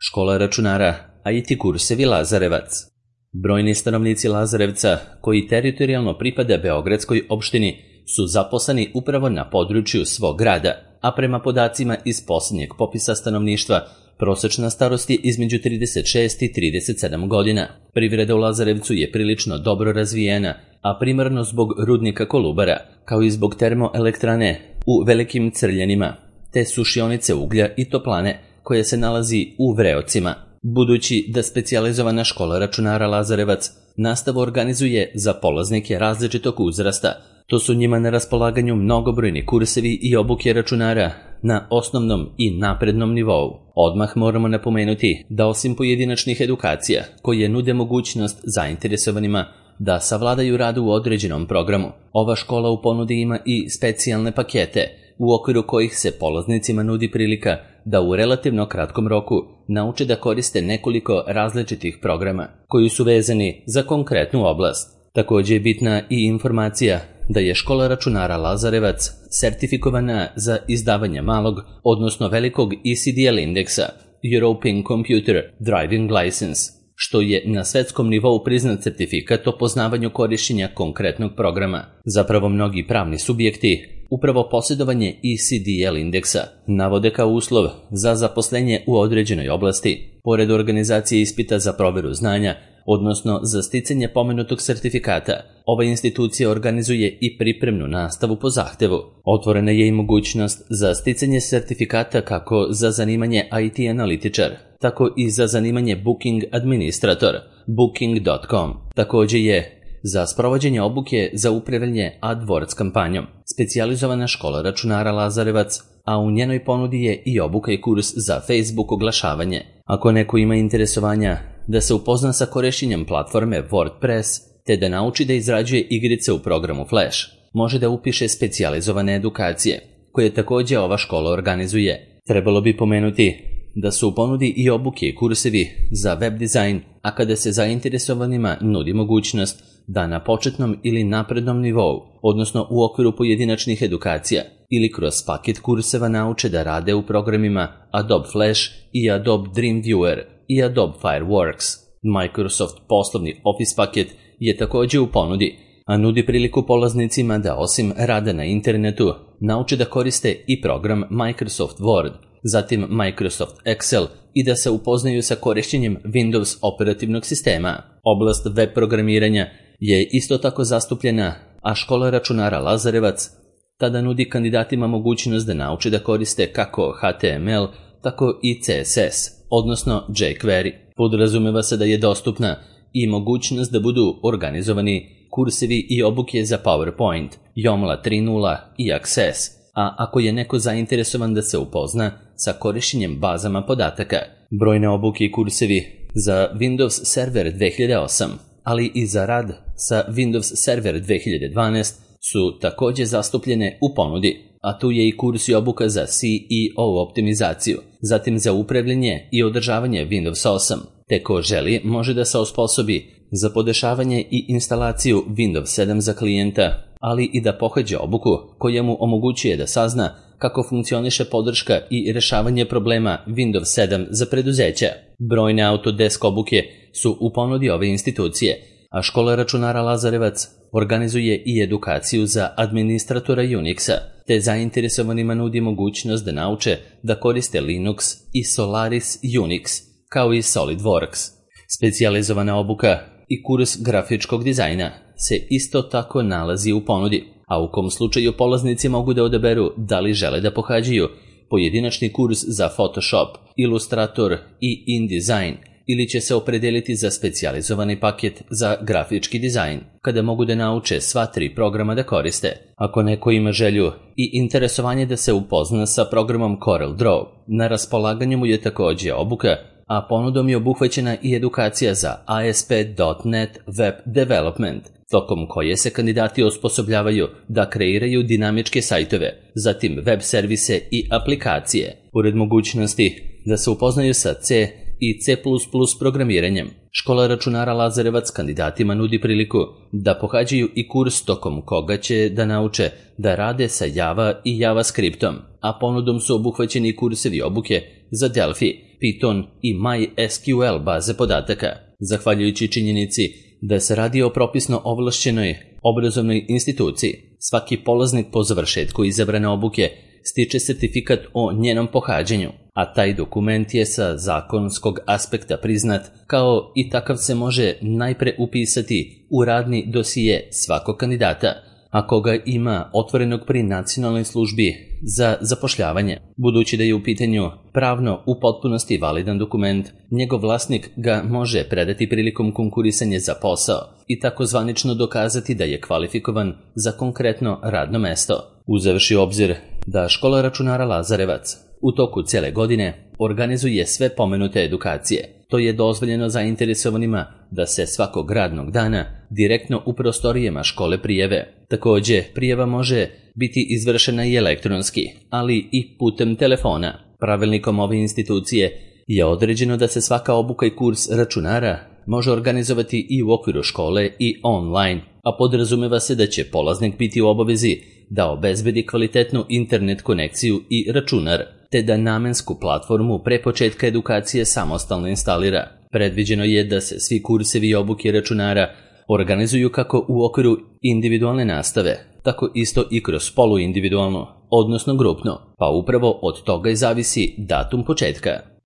Škola računara, IT kursevi Lazarevac. Brojni stanovnici Lazarevca, koji teritorijalno pripada Beogradskoj opštini, su zaposleni upravo na području svog grada, a prema podacima iz posljednjeg popisa stanovništva, prosečna starost je između 36 i 37 godina. Privreda u Lazarevcu je prilično dobro razvijena, a primarno zbog rudnika Kolubara, kao i zbog termoelektrane u Velikim Crljenima, te sušionice uglja i toplane koja se nalazi u Vreocima. Budući da specijalizovana škola računara Lazarevac nastavu organizuje za polaznike različitog uzrasta, to su njima na raspolaganju mnogobrojni kursevi i obuke računara na osnovnom i naprednom nivou. Odmah moramo napomenuti da osim pojedinačnih edukacija koje nude mogućnost zainteresovanima da savladaju rad u određenom programu, ova škola u ponudi ima i specijalne pakete u okviru kojih se polaznicima nudi prilika da u relativno kratkom roku nauče da koriste nekoliko različitih programa koji su vezani za konkretnu oblast. Također je bitna i informacija da je škola računara Lazarevac sertifikovana za izdavanje malog, odnosno velikog ECDL indeksa, European Computer Driving License, što je na svetskom nivou priznat certifikat o poznavanju korišćenja konkretnog programa. Zapravo mnogi pravni subjekti upravo posjedovanje ECDL indeksa navode kao uslov za zaposlenje u određenoj oblasti, pored organizacije ispita za proveru znanja, odnosno za sticanje pomenutog sertifikata. Ova institucija organizuje i pripremnu nastavu po zahtevu. Otvorena je i mogućnost za sticanje sertifikata kako za zanimanje IT analitičar, tako i za zanimanje Booking administrator, booking.com. Također je za sprovođenje obuke za upravljanje AdWords kampanjom specijalizovana škola računara Lazarevac, a u njenoj ponudi je i obuka i kurs za Facebook oglašavanje. Ako neko ima interesovanja da se upozna sa korišćenjem platforme WordPress, te da nauči da izrađuje igrice u programu Flash, može da upiše specijalizovane edukacije, koje također ova škola organizuje. Trebalo bi pomenuti da su u ponudi i obuke i kursevi za web dizajn, a kada se zainteresovanima nudi mogućnost da na početnom ili naprednom nivou, odnosno u okviru pojedinačnih edukacija ili kroz paket kurseva nauče da rade u programima Adobe Flash i Adobe Dreamweaver i Adobe Fireworks. Microsoft poslovni Office paket je također u ponudi, a nudi priliku polaznicima da osim rada na internetu nauče da koriste i program Microsoft Word, zatim Microsoft Excel i da se upoznaju sa korišćenjem Windows operativnog sistema. Oblast web programiranja je isto tako zastupljena, a škola računara Lazarevac tada nudi kandidatima mogućnost da nauče da koriste kako HTML, tako i CSS, odnosno jQuery. Podrazumeva se da je dostupna i mogućnost da budu organizovani kursevi i obuke za PowerPoint, Joomla 3.0 i Access, a ako je neko zainteresovan da se upozna sa korišćenjem bazama podataka, brojne obuke i kursevi za Windows Server 2008, ali i za rad sa Windows Server 2012 su također zastupljene u ponudi, a tu je i kurs i obuka za CEO optimizaciju, zatim za upravljanje i održavanje Windows 8, te ko želi može da se osposobi za podešavanje i instalaciju Windows 7 za klijenta, ali i da pohađa obuku koja mu omogućuje da sazna kako funkcioniše podrška i rešavanje problema Windows 7 za preduzeća. Brojne Autodesk obuke su u ponudi ove institucije, a škola računara Lazarevac organizuje i edukaciju za administratora Unixa, te zainteresovanima nudi mogućnost da nauče da koriste Linux i Solaris Unix, kao i SolidWorks. Specijalizovana obuka i kurs grafičkog dizajna se isto tako nalazi u ponudi, a u kom slučaju polaznici mogu da odaberu da li žele da pohađaju pojedinačni kurs za Photoshop, Illustrator i InDesign, ili će se opredeliti za specijalizovani paket za grafički dizajn, kada mogu da nauče sva 3 programa da koriste. Ako neko ima želju i interesovanje da se upozna sa programom CorelDRAW, na raspolaganju mu je također obuka, a ponudom je obuhvaćena i edukacija za ASP.NET Web Development, tokom koje se kandidati osposobljavaju da kreiraju dinamičke sajtove, zatim web servise i aplikacije. Pored mogućnosti da se upoznaju sa C i C++ programiranjem, škola računara Lazarevac kandidatima nudi priliku da pohađaju i kurs tokom koga će da nauče da rade sa Java i JavaScriptom, a ponudom su obuhvaćeni kursevi obuke za Delphi, Python i MySQL baze podataka. Zahvaljujući činjenici da se radi o propisno ovlašćenoj obrazovnoj instituciji, svaki polaznik po završetku izabrane obuke stiče sertifikat o njenom pohađanju, a taj dokument je sa zakonskog aspekta priznat, kao i takav se može najpre upisati u radni dosije svakog kandidata, ako ga ima otvorenog pri nacionalnoj službi za zapošljavanje. Budući da je u pitanju pravno u potpunosti validan dokument, njegov vlasnik ga može predati prilikom konkurisanja za posao i tako zvanično dokazati da je kvalifikovan za konkretno radno mesto. Uzevši u obzir da Škola računara Lazarevac u toku cele godine organizuje sve pomenute edukacije, to je dozvoljeno zainteresovanima da se svakog radnog dana direktno u prostorijama škole prijave. Takođe, prijava može biti izvršena i elektronski, ali i putem telefona. Pravilnikom ove institucije je određeno da se svaka obuka i kurs računara može organizovati i u okviru škole i online, a podrazumeva se da će polaznik biti u obavezi da obezbedi kvalitetnu internet konekciju i računar, te da namensku platformu pre početka edukacije samostalno instalira. Predviđeno je da se svi kursevi i obuke računara organizuju kako u okviru individualne nastave, tako isto i kroz poluindividualno, odnosno grupno, pa upravo od toga i zavisi datum početka.